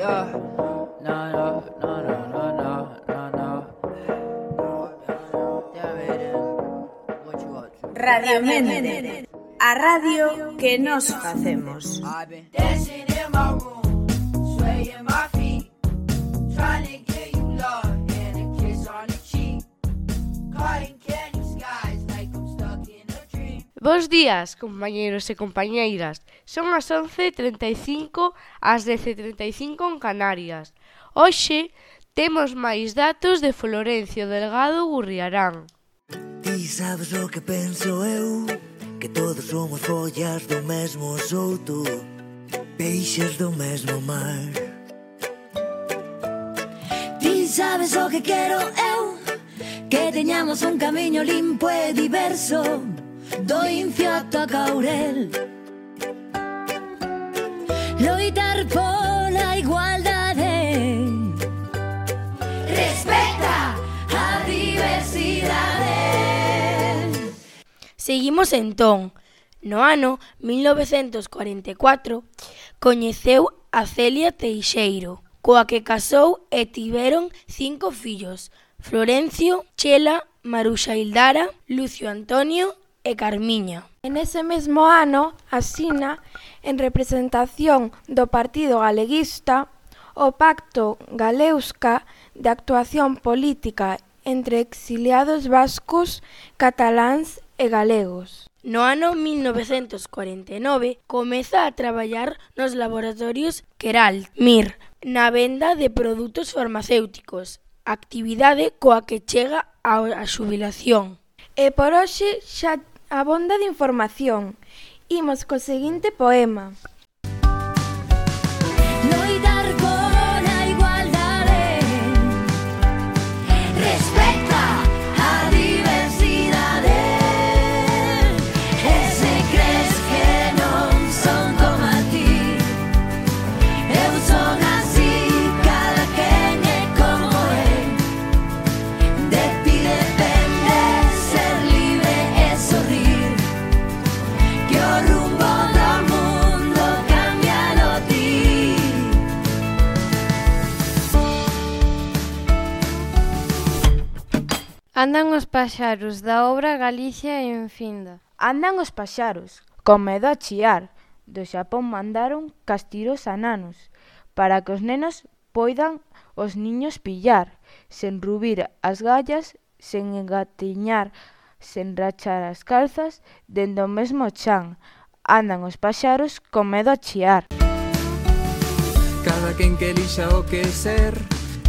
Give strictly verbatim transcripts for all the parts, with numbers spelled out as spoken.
Yeah. No, no, no, no, no, no, no, no. Radio Mente, a radio que nos facemos. I've been dancing in my room, swaying my feet, trying to get you love and a kiss on the cheek, caught in candy skies like I'm stuck in a dream. Bos días, compañeros e compañeiras. Son as once e trinta e cinco, ás dez e trinta e cinco en Canarias. Hoxe temos máis datos de Florencio Delgado Gurriarán. Ti sabes o que penso eu, que todos somos follas do mesmo souto, peixes do mesmo mar. Ti sabes o que quero eu, que teñamos un camiño limpo e diverso, do Incio ata Caurel. Loitar pola igualdade, respecta a diversidade. Seguimos entón. No ano mil novecentos corenta e catro coñeceu a Celia Teixeiro, coa que casou e tiveron cinco fillos: Florencio, Chela, Maruxa Ildara, Lucio Antonio e Carmiña. En ese mesmo ano asina, en representación do Partido Galeguista, o Pacto Galeusca de actuación política entre exiliados vascos, cataláns e galegos. No ano mil novecentos corenta e nove comeza a traballar nos laboratorios Queralt, Mir, na venda de produtos farmacéuticos, actividade coa que chega á xubilación. E por hoxe xa abonda de información. Imos co seguinte poema. Loitar pola igualdade, respecta a diversidade. E se crees que non son como a ti, eu son así, cada quen é como é. De ti depende ser libre e sorrir, que o rumbo do mundo cámbialo ti. Andan os paxaros da obra Galicia en Finda. Andan os paxaros, con medo a chiar. Do Xapón mandaron castiros a nanos, para que os nenos poidan os niños pillar, sen rubir as gallas, sen engatiñar, sen rachar as calzas, dende o mesmo chan. Andan os paxaros con medo a chiar. Cada quen que elixa o que ser,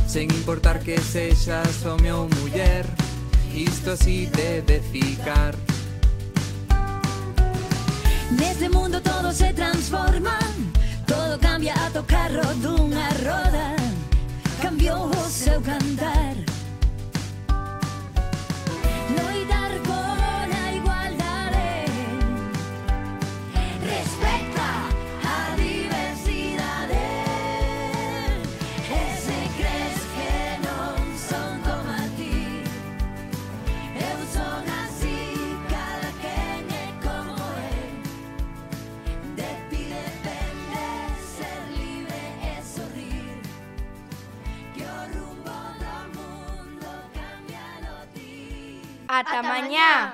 sen importar que sexas home ou muller, isto así debe ficar. Neste mundo todo se transforma, todo cambia a tocarro dunha roda, cambiou o seu cantar. Loitar pola igualdade, respecta a diversidade. E se crees que non son como a ti, eu son así, cada quen é como é. De ti depende ser libre e sorrir, que o rumbo do mundo cámbialo ti. Ata mañá!